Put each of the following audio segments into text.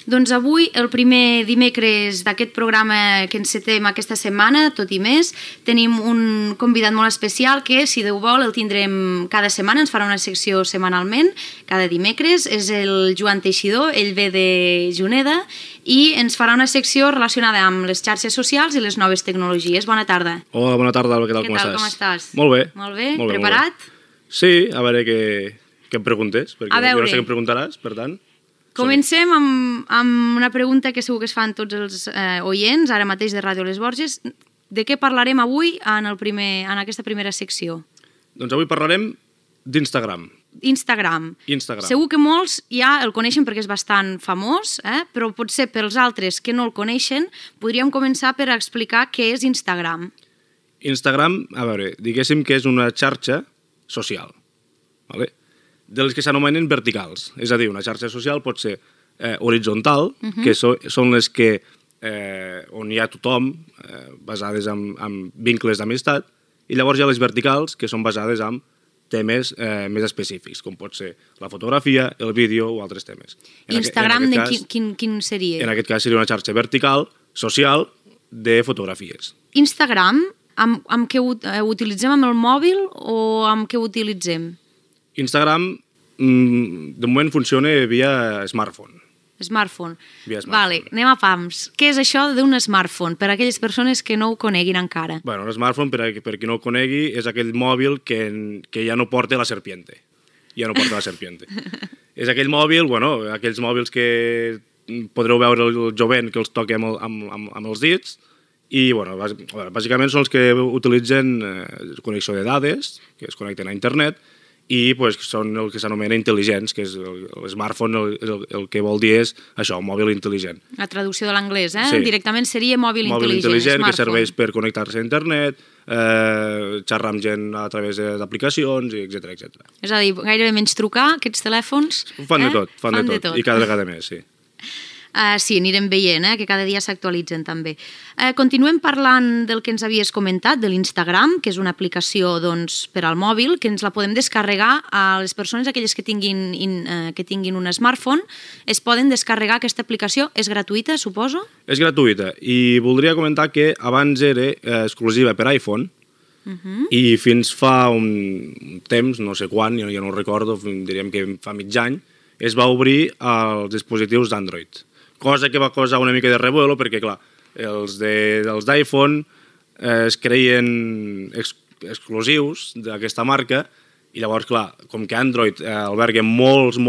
Doncs avui, el primer dimecres d'aquest programa que encetem aquesta setmana, tot i més, tenim un convidat molt especial que, si Déu vol, el tindrem cada setmana, ens farà una secció setmanalment, cada dimecres. És el Joan Teixidor, ell ve de Juneda i ens farà una secció relacionada amb les xarxes socials i les noves tecnologies. Bona tarda. Hola, bona tarda, què tal, com estàs? Molt bé. Molt bé, molt bé preparat? Molt bé. Sí, a veure què em preguntes, perquè jo no sé què em preguntaràs, per tant... Comencem amb una pregunta que segur que es fan tots els oients, ara mateix de Ràdio Les Borges. De què parlarem avui en aquesta primera secció? Doncs avui parlarem d'Instagram. Instagram. Segur que molts ja el coneixen perquè és bastant famós, però potser pels altres que no el coneixen podríem començar per explicar què és Instagram. Instagram, a veure, diguéssim que és una xarxa social, ¿vale? De les que s'anomenen verticals. És a dir, una xarxa social pot ser horitzontal, que són les que on hi ha tothom, basades en vincles d'amistat, i llavors hi ha les verticals, que són basades en temes més específics, com pot ser la fotografia, el vídeo o altres temes. Instagram, quin seria? En aquest cas seria una xarxa vertical, social, de fotografies. Instagram, amb què utilitzem, amb el mòbil o amb què utilitzem? Instagram, de moment, funciona via smartphone. Smartphone. Vale, anem a pams. Què és això d'un smartphone, per a aquelles persones que no ho coneguin encara? Bueno, un smartphone, per qui no ho conegui, és aquell mòbil que ja no porta la serpiente. Ja no porta la serpiente. És aquell mòbil, bueno, aquells mòbils que podreu veure el jovent que els toquem amb els dits, i, bueno, bàsicament són els que utilitzen connexió de dades, que es connecten a internet, i són el que s'anomena intel·ligents, que és l'smartphone, el que vol dir és això, un mòbil intel·ligent. La traducció de l'anglès, Sí. Directament seria mòbil intel·ligent, intel·ligent, smartphone. que serveix per connectar-se a internet, xerrar amb gent a través d'aplicacions, etc. És a dir, gairebé menys trucar, aquests telèfons... Fan de tot, i cada vegada més, sí. Sí, anirem veient, que cada dia s'actualitzen també. Continuem parlant del que ens havies comentat, de l'Instagram, que és una aplicació per al mòbil, que ens la podem descarregar a les persones, aquelles que tinguin un smartphone, es poden descarregar aquesta aplicació. És gratuïta, suposo? És gratuïta, i voldria comentar que abans era exclusiva per iPhone, i fins fa un temps, no sé quan, jo no ho recordo, diríem que fa mig any, es va obrir als dispositius d'Android. Cosa que va causar una mica de revuelo, perquè, clar, els d'iPhone es creien exclusius d'aquesta marca, i llavors, clar, com que Android alberga molts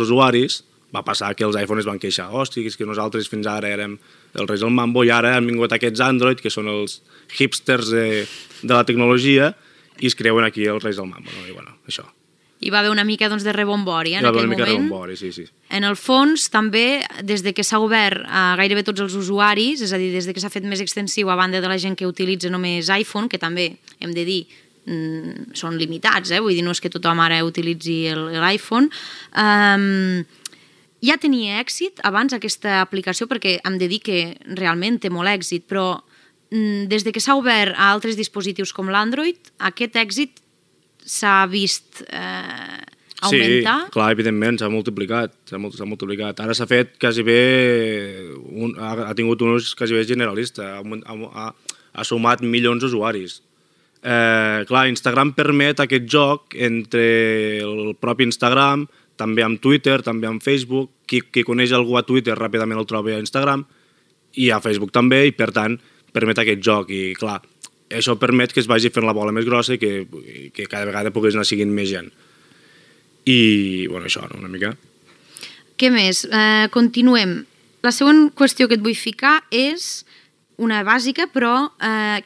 usuaris, va passar que els iPhones es van queixar. Hòstia, és que nosaltres fins ara érem els reis del mambo, i ara han vingut aquests Android, que són els hipsters de la tecnologia, i es creuen aquí els reis del mambo. I, bueno, això. Hi va haver una mica de rebombori en aquell moment. Hi va haver una mica de rebombori, sí. En el fons, també, des de que s'ha obert a gairebé tots els usuaris, és a dir, des de que s'ha fet més extensiu a banda de la gent que utilitza només iPhone, que també, hem de dir, són limitats, vull dir, no és que tothom ara utilitzi l'iPhone, ja tenia èxit abans aquesta aplicació, perquè hem de dir que realment té molt èxit, però des de que s'ha obert a altres dispositius com l'Android, aquest èxit s'ha vist augmentar? Sí, clar, evidentment, s'ha multiplicat. Ara s'ha fet quasi bé, ha tingut un ús quasi bé generalista, ha sumat milions d'usuaris. Clar, Instagram permet aquest joc entre el propi Instagram, també amb Twitter, també amb Facebook. Qui coneix algú a Twitter ràpidament el troba a Instagram, i a Facebook també, i per tant permet aquest joc. I clar, això permet que es vagi fent la bola més grossa i que cada vegada pogués anar seguint més gent. I, bueno, això, una mica. Què més? Continuem. La següent qüestió que et vull ficar és una bàsica, però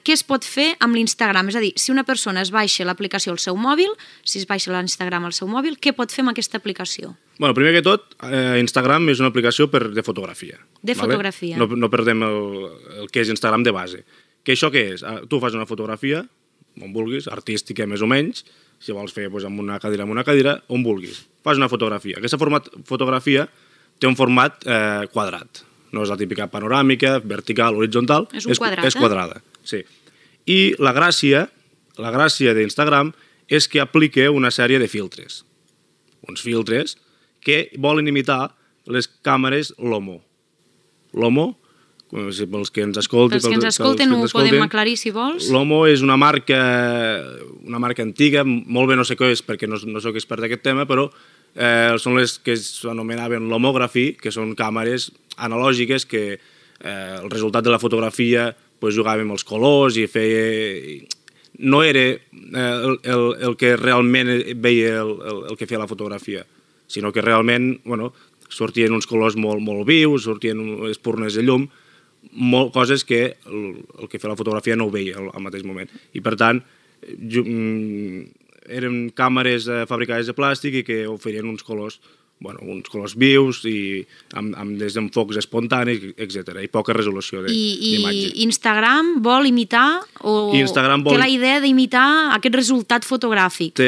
què es pot fer amb l'Instagram? És a dir, si una persona es baixa l'aplicació al seu mòbil, si es baixa l'Instagram al seu mòbil, què pot fer amb aquesta aplicació? Bueno, primer que tot, Instagram és una aplicació de fotografia. De fotografia. No perdem el que és Instagram de base. Que això què és? Tu fas una fotografia, on vulguis, artística més o menys, si vols fer amb una cadira, on vulguis. Fas una fotografia. Aquesta fotografia té un format quadrat. No és la típica panoràmica, vertical, horitzontal. És un quadrat, És quadrada, sí. I la gràcia d'Instagram és que aplica una sèrie de filtres. Uns filtres que volen imitar les càmeres Lomo. Lomo, pels que ens escolten. Pels que ens escolten ho podem aclarir, si vols. Lomo és una marca antiga, molt bé no sé què és perquè no soc expert d'aquest tema, però són les que s'anomenaven lomography, que són càmeres analògiques que el resultat de la fotografia jugava amb els colors i feia... No era el que realment veia el que feia la fotografia, sinó que realment sortien uns colors molt vius, sortien espurnes de llum, coses que el que feia la fotografia no ho veia al mateix moment. I per tant, eren càmeres fabricades de plàstic i que oferien uns colors vius i amb desenfocs espontanis, etc. I poca resolució d'imatge. I Instagram vol imitar o té la idea d'imitar aquest resultat fotogràfic?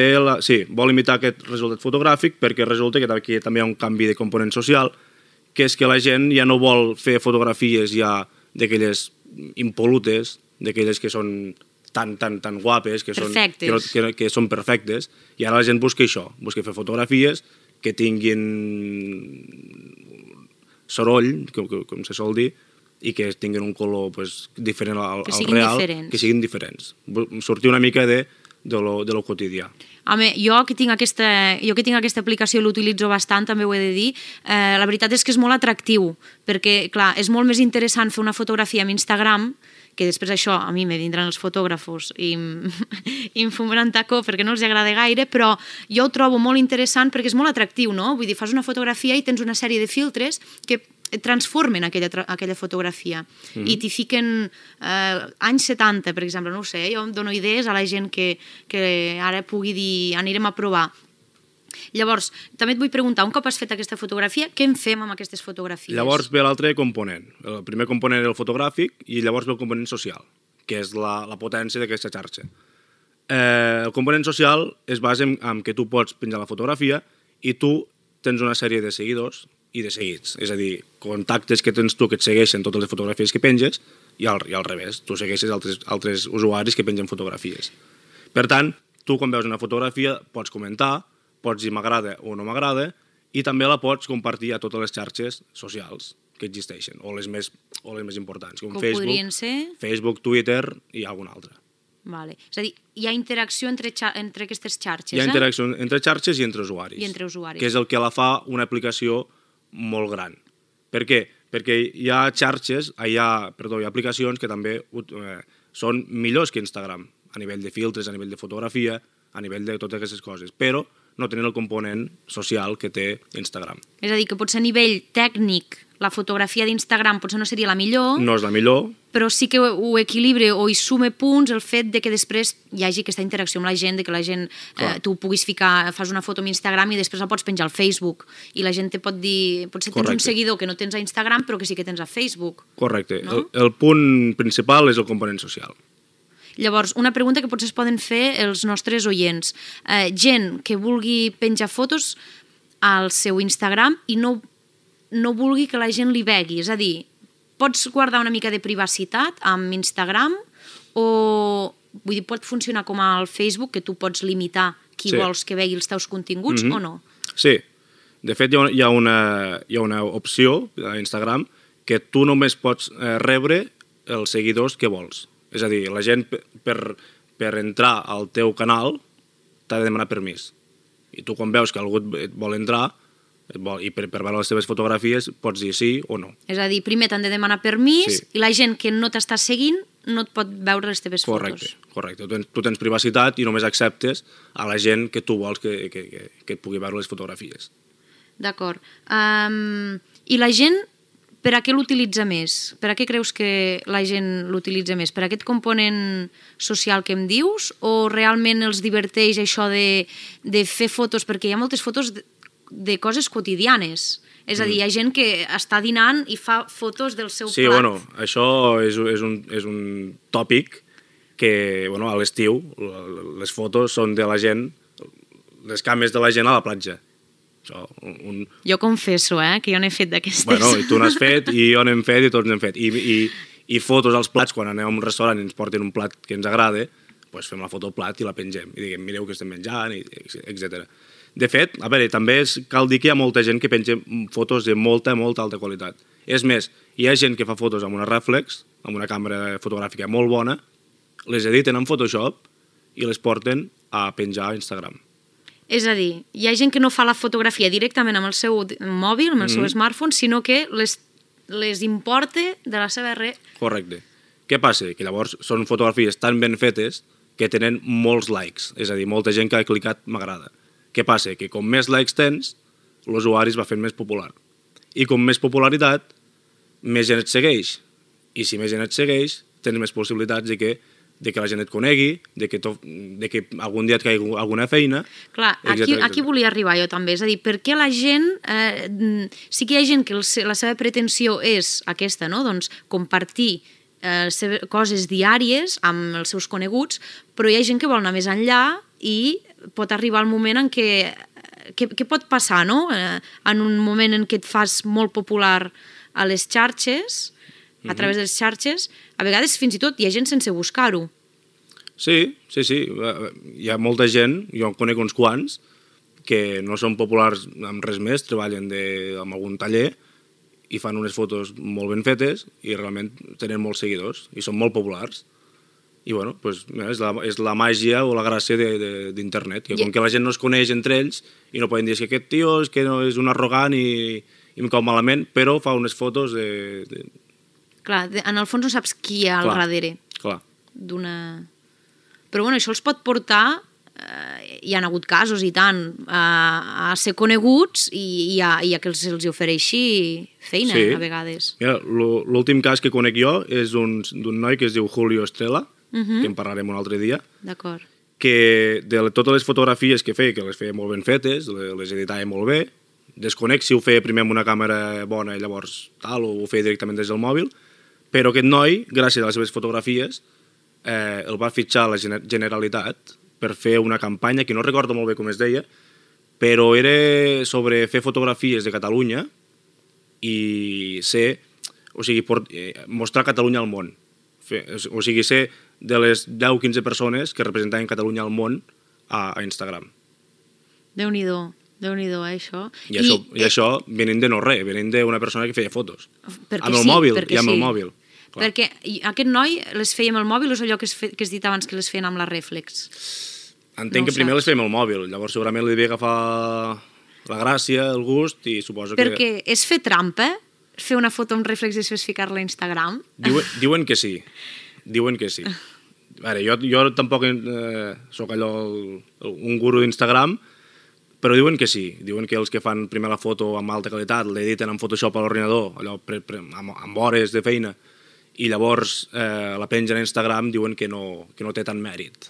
Sí, vol imitar aquest resultat fotogràfic perquè resulta que aquí també hi ha un canvi de component social, que és que la gent ja no vol fer fotografies ja d'aquelles impolutes, d'aquelles que són tan guapes, que són perfectes, i ara la gent busca això, busca fer fotografies que tinguin soroll, com se sol dir, i que tinguin un color diferent al real, que siguin diferents. Sortir una mica de lo quotidià. Home, jo que tinc aquesta aplicació l'utilitzo bastant, també ho he de dir. La veritat és que és molt atractiu, perquè, clar, és molt més interessant fer una fotografia amb Instagram, que després això a mi me vindran els fotògrafos i em fumaran tacó perquè no els agrada gaire, però jo ho trobo molt interessant perquè és molt atractiu, no? Vull dir, fas una fotografia i tens una sèrie de filtres que transformen aquella fotografia i t'hi fiquen anys 70, per exemple, no ho sé, jo em dono idees a la gent que ara pugui dir anirem a provar. Llavors, també et vull preguntar, un cop has fet aquesta fotografia, què en fem amb aquestes fotografies? Llavors ve l'altre component. El primer component és el fotogràfic i llavors ve el component social, que és la potència d'aquesta xarxa. El component social es basa en que tu pots penjar la fotografia i tu tens una sèrie de seguidors i de seguits. És a dir, contactes que tens tu que et segueixen totes les fotografies que penges i al revés, tu segueixes altres usuaris que pengen fotografies. Per tant, tu quan veus una fotografia pots comentar, pots dir m'agrada o no m'agrada, i també la pots compartir a totes les xarxes socials que existeixen, o les més importants, com Facebook, Twitter i alguna altra. Vale. És a dir, hi ha interacció entre aquestes xarxes, Hi ha interacció entre xarxes i entre usuaris. Que és el que la fa una aplicació molt gran. Per què? Perquè hi ha aplicacions que també són millors que Instagram, a nivell de filtres, a nivell de fotografia, a nivell de totes aquestes coses, però no tenen el component social que té Instagram. És a dir, que potser a nivell tècnic la fotografia d'Instagram potser no seria la millor. No és la millor. Però sí que ho equilibra o hi sume punts el fet de que després hi hagi aquesta interacció amb la gent, de que la gent, tu puguis fas una foto amb Instagram i després la pots penjar al Facebook. I la gent te pot dir, potser tens un seguidor que no tens a Instagram però que sí que tens a Facebook. Correcte. El punt principal és el component social. Llavors, una pregunta que potser es poden fer els nostres oients. Gent que vulgui penjar fotos al seu Instagram i no vulgui que la gent li vegi. És a dir, pots guardar una mica de privacitat amb Instagram o vull dir, pot funcionar com al Facebook, que tu pots limitar qui vols que vegi els teus continguts o no? Sí. De fet, hi ha una opció a Instagram que tu només pots rebre els seguidors que vols. És a dir, la gent per entrar al teu canal t'ha de demanar permís. I tu quan veus que algú et vol entrar i per veure les teves fotografies pots dir sí o no. És a dir, primer t'han de demanar permís i la gent que no t'està seguint no et pot veure les teves fotos. Correcte. Tu tens privacitat i només acceptes a la gent que tu vols que et pugui veure les fotografies. D'acord. I la gent, per a què l'utilitza més? Per a què creus que la gent l'utilitza més? Per a aquest component social que em dius? O realment els diverteix això de fer fotos? Perquè hi ha moltes fotos de coses quotidianes. És a dir, hi ha gent que està dinant i fa fotos del seu plat. Sí, això és un tòpic que a l'estiu les fotos són de la gent, les cames de la gent a la platja. Jo confesso, que jo n'he fet d'aquestes. I tu n'has fet, i jo n'hem fet, i tots n'hem fet. I fotos als plats, quan anem a un restaurant i ens porten un plat que ens agrada, doncs fem la foto al plat i la pengem. I diguem, mireu que estem menjant, etc. De fet, a veure, també cal dir que hi ha molta gent que penja fotos de molta alta qualitat. És més, Hi ha gent que fa fotos amb una reflex, amb una càmera fotogràfica molt bona, les editen en Photoshop i les porten a penjar a Instagram. És a dir, hi ha gent que no fa la fotografia directament amb el seu mòbil, amb el seu smartphone, sinó que les importa de la seva red. Correcte. Què passa? Que llavors són fotografies tan ben fetes que tenen molts likes, és a dir, molta gent que ha clicat m'agrada. Què passa? Que com més likes tens, l'usuari es va fent més popular. I com més popularitat, més gent et segueix. I si més gent et segueix, tens més possibilitats de que la gent et conegui, de que algun dia et caigui alguna feina... Clar, aquí volia arribar jo també, és a dir, per què la gent... sí que hi ha gent que la seva pretensió és aquesta, no? Doncs compartir coses diàries amb els seus coneguts, però hi ha gent que vol anar més enllà i pot arribar el moment en què... Què pot passar, no? En un moment en què et fas molt popular a les xarxes, a través de les xarxes, a vegades fins i tot hi ha gent sense buscar-ho. Sí. Hi ha molta gent, jo en conec uns quants, que no són populars amb res més, treballen amb algun taller i fan unes fotos molt ben fetes i realment tenen molts seguidors i són molt populars. I bueno, pues, és la màgia o la gràcia d'internet, que com que la gent no es coneix entre ells i no poden dir que aquest tio és un arrogant i em cau malament, però fa unes fotos Clar, en el fons no saps qui hi ha al darrere. Clar. Però bueno, això els pot portar, hi ha hagut casos i tant, a ser coneguts i a que els ofereixi feina, a vegades. Mira, l'últim cas que conec jo és d'un noi que es diu Julio Estrella, que en parlarem un altre dia. D'acord. Que de totes les fotografies que feia, que les feia molt ben fetes, les editava molt bé, desconec si ho feia primer amb una càmera bona i llavors tal, o ho feia directament des del mòbil, però aquest noi, gràcies a les seves fotografies, el va fitxar la Generalitat per fer una campanya, que no recordo molt bé com es deia, però era sobre fer fotografies de Catalunya i mostrar Catalunya al món. O sigui, ser de les 10-15 persones que representaven Catalunya al món a Instagram. Déu-n'hi-do, això. I això venint de no res, venint d'una persona que feia fotos. Amb el mòbil i amb el mòbil. Perquè aquest noi les feia amb el mòbil o és allò que has dit abans que les feien amb la reflex? Entenc que primer les feia amb el mòbil, llavors segurament li devia agafar la gràcia, el gust i suposo que... Perquè és fer trampa? Fer una foto amb reflex i després ficar-la a Instagram? Diuen que sí. Jo tampoc soc allò un guru d'Instagram, però diuen que sí. Diuen que els que fan primer la foto amb alta qualitat l'editen en Photoshop a l'ordinador, allò amb hores de feina, i llavors la pengen a Instagram, diuen que no té tant mèrit.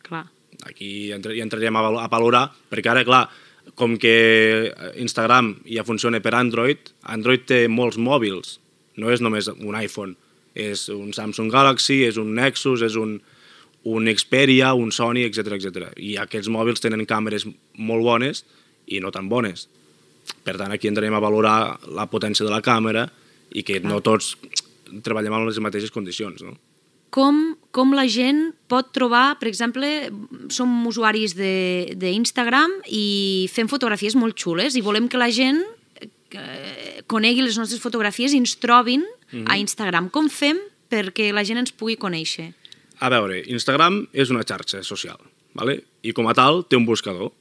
Clar. Aquí hi entraríem a valorar, perquè ara, clar, com que Instagram ja funciona per Android té molts mòbils, no és només un iPhone, és un Samsung Galaxy, és un Nexus, és un Xperia, un Sony, etc. I aquests mòbils tenen càmeres molt bones i no tan bones. Per tant, aquí entrarem a valorar la potència de la càmera i que no tots treballem en les mateixes condicions, no? Com la gent pot trobar, per exemple, som usuaris d'Instagram i fem fotografies molt xules i volem que la gent conegui les nostres fotografies i ens trobin a Instagram. Com fem perquè la gent ens pugui conèixer? A veure, Instagram és una xarxa social, ¿vale? I com a tal té un buscador.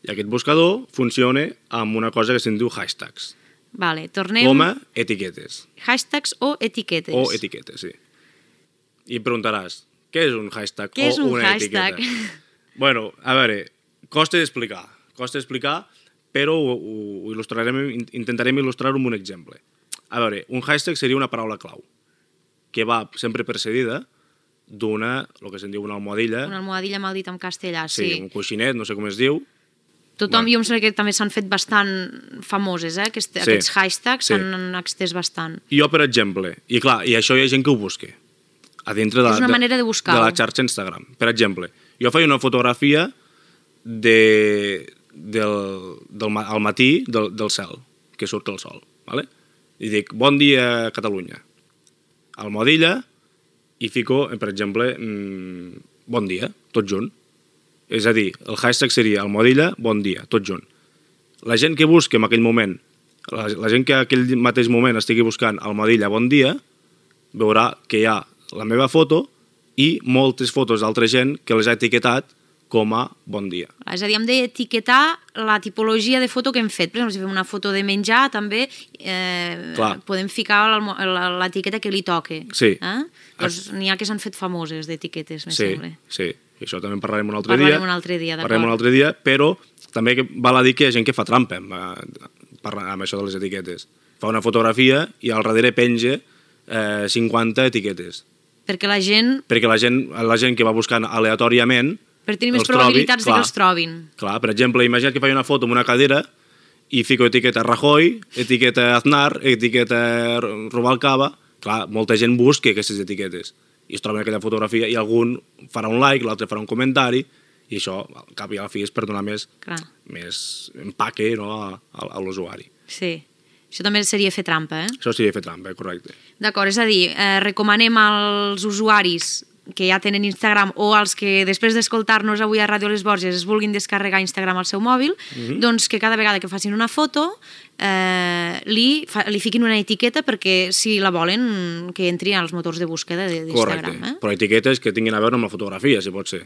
I aquest buscador funciona amb una cosa que se'n diu hashtags. Vale, tornem... Com a etiquetes. Hashtags o etiquetes. O etiquetes, sí. I em preguntaràs, què és un hashtag o una etiqueta? Bueno, a veure, costa d'explicar, però ho il·lustrarem, intentarem il·lustrar-ho amb un exemple. A veure, un hashtag seria una paraula clau, que va sempre precedida d'una, el que se'n diu una almohadilla. Una almohadilla mal dit en castellà, sí. Sí, un coixinet, no sé com es diu. Tothom, jo em sembla que també s'han fet bastant famoses, aquests hashtags s'han extès bastant. Jo, per exemple, i clar, i això hi ha gent que ho busca, a dintre de, és una manera de buscar-ho. De la xarxa Instagram. Per exemple, jo faig una fotografia al matí del cel, que surt el sol, ¿vale? I dic, bon dia Catalunya. Almohadilla, i fico, per exemple, bon dia, tot junt. És a dir, el hashtag seria almohadilla, bon dia, tot junt. La gent que busca en aquell moment la gent que aquell mateix moment estigui buscant Almohadilla Bon Dia veurà que hi ha la meva foto i moltes fotos d'altra gent que les ha etiquetat com a Bon Dia. És a dir, hem d'etiquetar la tipologia de foto que hem fet. Per exemple, si fem una foto de menjar, també podem ficar l'etiqueta que li toque. Sí. Doncs n'hi ha que s'han fet famoses d'etiquetes, me sembla. Sí, i això també en parlarem un altre dia. Parlarem un altre dia, d'acord. Parlarem un altre dia, però també val a dir que hi ha gent que fa trampa amb això de les etiquetes. Fa una fotografia i al darrere penja 50 etiquetes. Perquè la gent que va buscant aleatòriament per tenir més probabilitats de que els trobin. Clar, per exemple, imagina't que faig una foto amb una cadera i fico etiqueta Rajoy, etiqueta Aznar, etiqueta Rubalcaba. Clar, molta gent busca aquestes etiquetes i es troba en aquella fotografia i algun farà un like, l'altre farà un comentari i això, al cap i a la fi, és per donar més empaque a l'usuari. Sí. Això també seria fer trampa, Això seria fer trampa, correcte. D'acord, és a dir, recomanem als usuaris que ja tenen Instagram o als que després d'escoltar-nos avui a Ràdio Les Borges es vulguin descarregar Instagram al seu mòbil, doncs que cada vegada que facin una foto li fiquin una etiqueta perquè si la volen que entri als motors de búsqueda d'Instagram. Correcte, però etiquetes que tinguin a veure amb la fotografia, si pot ser.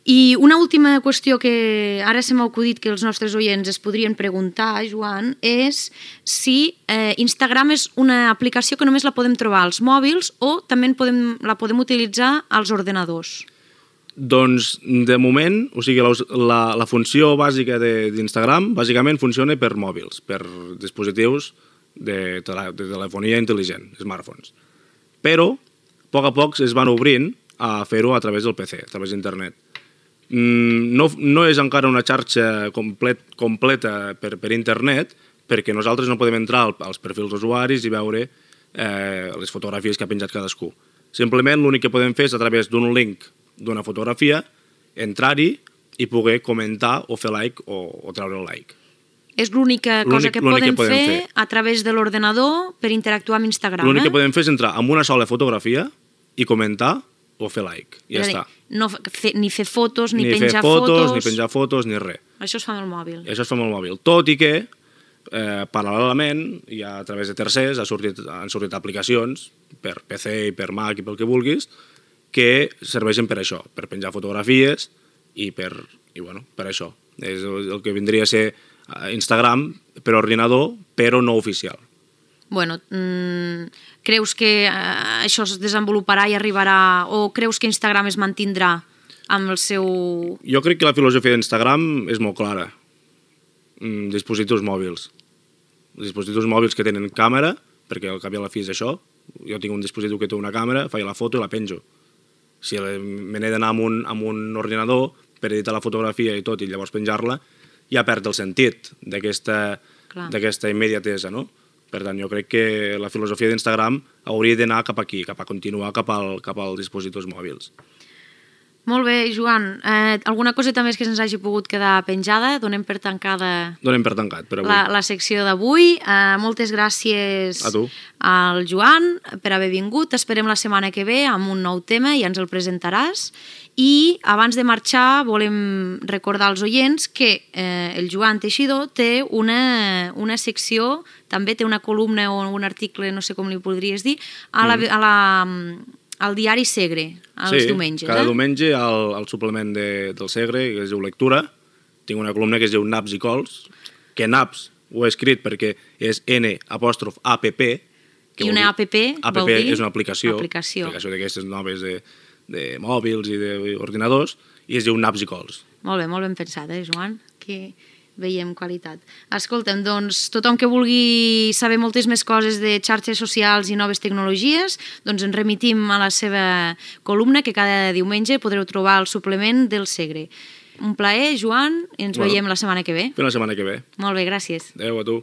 I una última qüestió que ara se m'ha acudit que els nostres oients es podrien preguntar, Joan, és si Instagram és una aplicació que només la podem trobar als mòbils o també la podem utilitzar als ordenadors. Doncs, de moment, o sigui, la funció bàsica d'Instagram bàsicament funciona per mòbils, per dispositius de telefonia intel·ligent, smartphones. Però, a poc es van obrint a fer-ho a través del PC, a través d'internet. No és encara una xarxa completa per internet, perquè nosaltres no podem entrar als perfils d'usuaris i veure les fotografies que ha penjat cadascú. Simplement l'únic que podem fer és a través d'un link d'una fotografia, entrar-hi i poder comentar o fer like o treure el like. És l'única cosa que podem fer a través de l'ordenador per interactuar amb Instagram. L'únic que podem fer és entrar amb una sola fotografia i comentar o fer like. Ja està. Ni fer fotos, ni penjar fotos... Ni penjar fotos, ni res. Això es fa amb el mòbil. Això es fa amb el mòbil. Tot i que, paral·lelament, i a través de tercers, han sortit aplicacions per PC i per Mac i pel que vulguis, que serveixen per això, per penjar fotografies i per això. És el que vindria a ser Instagram per ordinador, però no oficial. Bueno, creus que això es desenvoluparà i arribarà, o creus que Instagram es mantindrà amb el seu... Jo crec que la filosofia d'Instagram és molt clara. Dispositius mòbils. Dispositius mòbils que tenen càmera, perquè al cap i a la fi és això. Jo tinc un dispositiu que té una càmera, faig la foto i la penjo. Si me n'he d'anar amb un ordinador per editar la fotografia i tot, i llavors penjar-la, ja perd el sentit d'aquesta immediatesa, no? Per tant, jo crec que la filosofia d'Instagram hauria d'anar cap aquí, cap a continuar cap als dispositius mòbils. Molt bé, Joan. Alguna coseta més que se'ns hagi pogut quedar penjada? Donem per tancada... Donem per tancat, per avui. La secció d'avui. Moltes gràcies a tu, al Joan, per haver vingut. Esperem la setmana que ve amb un nou tema i ja ens el presentaràs. I abans de marxar volem recordar als oients que el Joan Teixidor té una secció, també té una columna o un article, no sé com li podries dir, al diari Segre, els diumenges. Sí, cada diumenge al suplement del Segre, que es diu Lectura, tinc una columna que es diu Naps i Cols, que Naps ho he escrit perquè és N'_APP. I una APP vol dir? És una aplicació d'aquestes noves de mòbils i d'ordinadors, i es diu Naps i Cols. Molt ben pensat, Joan? Que veiem qualitat. Escolta'm, doncs, tothom que vulgui saber moltes més coses de xarxes socials i noves tecnologies, doncs ens remitim a la seva columna que cada diumenge podreu trobar al suplement del Segre. Un plaer, Joan, i ens veiem la setmana que ve. Fins la setmana que ve. Molt bé, gràcies. Adéu a tu.